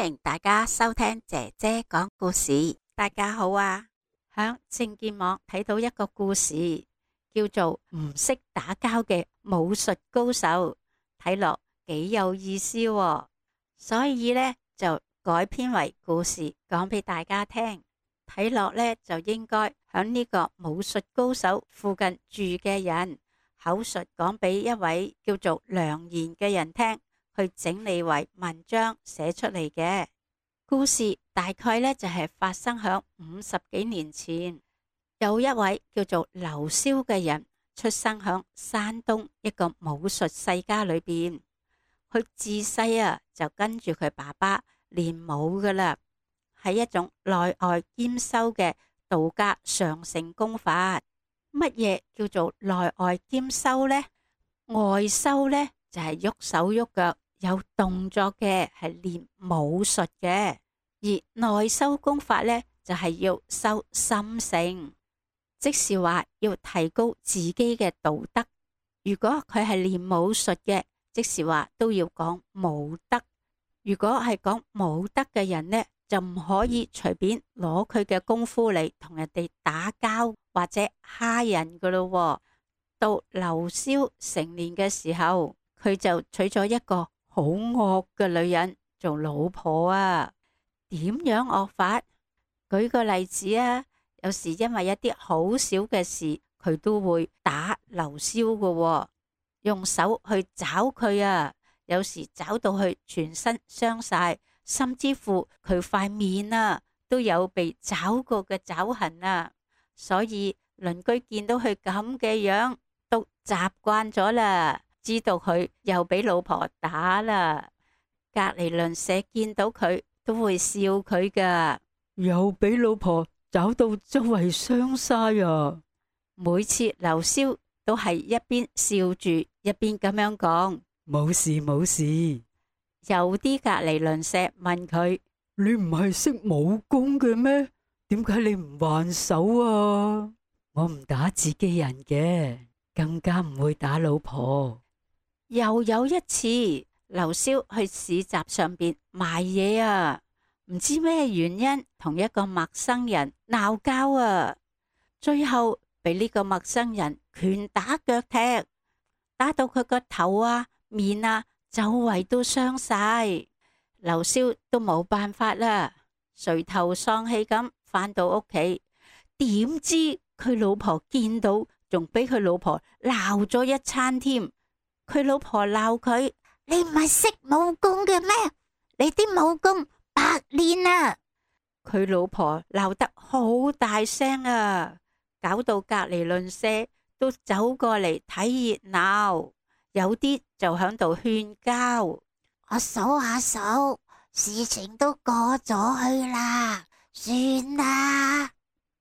迎大家收聽姐姐講故事。大家好啊，響正見網睇到一個故事，叫做唔識打交嘅武術高手，睇落幾有意思喎，所以呢，就改編為故事講俾大家聽。睇落呢，就應該響呢個武術高手附近住嘅人口述講俾一位叫做梁賢嘅人聽，去整理為文章寫出嚟嘅故事。大概呢，就係發生響50幾年前，有一位叫做劉蕭嘅人出生響山東一個武術世家裏邊。佢自細就跟住佢爸爸練武噶啦，係一種內外兼修嘅道家上乘功法。乜嘢叫做內外兼修呢？外修呢，就係喐手喐腳有動作嘅，係練武術嘅；而內修功法呢，就係要修心性，即是話要提高自己嘅道德。如果佢係練武術嘅，即是話都要講武德。如果係講武德嘅人呢，就唔可以隨便攞佢嘅功夫嚟同人哋打交或者蝦人噶咯。到劉蕭成年嘅時候，佢就娶咗一個好惡嘅女人做老婆啊。點樣惡法？舉個例子啊，有時因為一啲好小嘅事，佢都會打劉蕭噶，用手去抓佢啊。有時抓到佢全身傷晒，甚至乎佢塊面都有被抓過嘅爪痕啊。所以鄰居見到佢咁嘅樣，都習慣咗啦，知道佢又俾老婆打啦。隔籬鄰舍見到佢都會笑佢噶，又俾老婆找到周圍傷晒啊！每次劉蕭都係一邊笑住一邊咁樣講，冇事冇事。有啲隔籬鄰舍問佢：你唔係識武功嘅咩？點解你唔還手啊？我唔打自己人嘅，更加唔會打老婆。又有一次，劉蕭去市集上邊賣嘢啊，唔知咩原因同一個陌生人鬧交啊，最後俾呢個陌生人拳打腳踢，打到佢個頭面周圍都傷晒。劉蕭都冇辦法啦，垂頭喪氣咁返到屋企，點知佢老婆見到，仲俾佢老婆鬧咗一餐添。佢老婆鬧佢：你唔係識武功嘅咩？你啲武功白練啊！佢老婆鬧得好大聲啊，搞到隔籬鄰舍都走過嚟睇熱鬧，有啲就響度勸交。我數下數，事情都過咗去啦，算啦。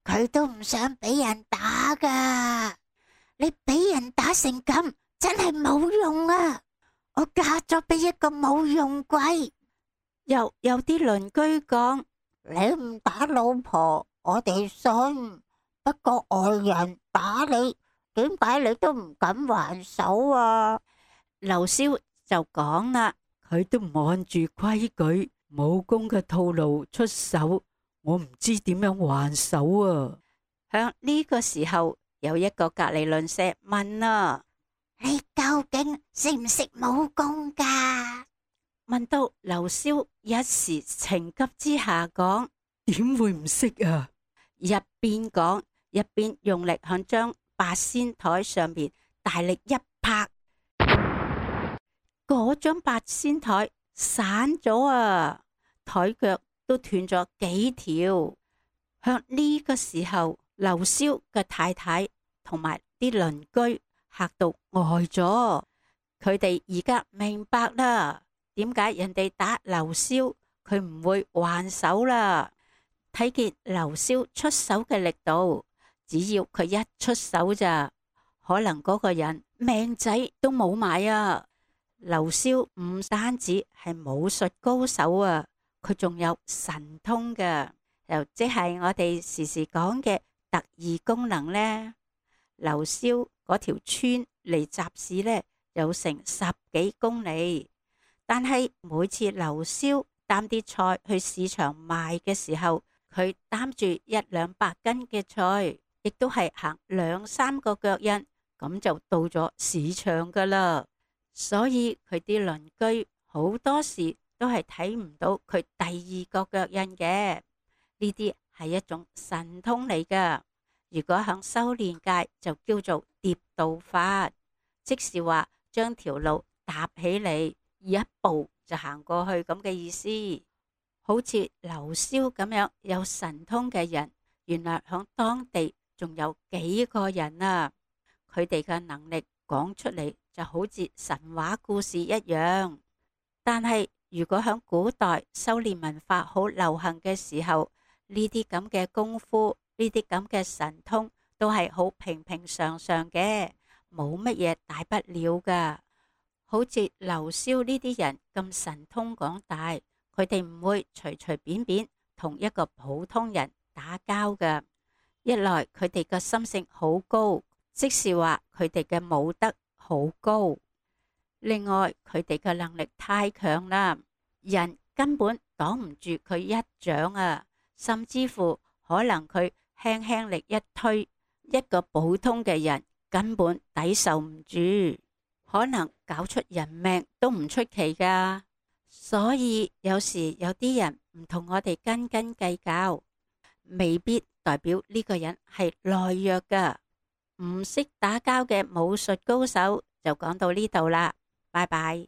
佢都唔想俾人打噶，你俾人打成咁，真係冇用啊！我嫁咗俾一個冇用鬼。又有啲鄰居講：你唔打老婆，我哋信，不過外人打你，點解你都唔敢還手啊？劉蕭就講啦：佢都唔按住規矩武功嘅套路出手，我唔知點樣還手啊！響呢個時候，有一個隔籬鄰舍問啊：你究竟識唔識武功噶？問到劉蕭一時情急之下講：點會唔識啊？一邊講一邊用力響張八仙台上邊大力一拍，嗰張八仙台散咗啊，台腳都斷咗幾條。向呢個時候，劉蕭嘅太太同埋啲鄰居嚇到呆咗，佢哋而家明白啦，點解人哋打劉蕭佢唔會還手啦。睇見劉蕭出手嘅力度，只要佢一出手咋，可能嗰個人命仔都冇埋啊。劉蕭唔單止係武術高手啊，佢仲有神通嘅，又即係我哋時時講嘅特異功能呢。劉蕭嗰條村離集市呢有成10幾公里，但係每次劉蕭擔啲菜去市場賣嘅時候，佢擔住100-200斤嘅菜，亦都係行2-3個腳印，咁就到咗市場噶啦。所以佢啲鄰居好多時都係睇唔到佢第2個腳印嘅。呢啲係一種神通嚟噶。如果響修煉界就叫做疊道法，即是話將條路搭起嚟，一步就行過去咁嘅意思。好似劉蕭咁樣有神通嘅人，原來響當地仲有幾個人啊。佢哋嘅能力講出嚟就好似神話故事一樣。但係如果響古代修煉文化好流行嘅時候，呢啲咁嘅功夫，呢啲咁嘅神通都係好平平常常嘅，冇乜嘢大不了噶。好似劉蕭呢啲人咁神通廣大，佢哋唔會隨隨便便同一個普通人打交噶。一來佢哋嘅心性好高，即是話佢哋嘅武德好高。另外佢哋嘅能力太強啦，人根本擋唔住佢一掌啊，甚至乎可能佢輕輕力一推，一個普通嘅人根本抵受唔住，可能搞出人命都唔出奇噶。所以有時有啲人唔同我哋斤斤計較，未必代表呢個人係懦弱噶。唔識打交嘅武術高手就講到呢度啦，拜拜。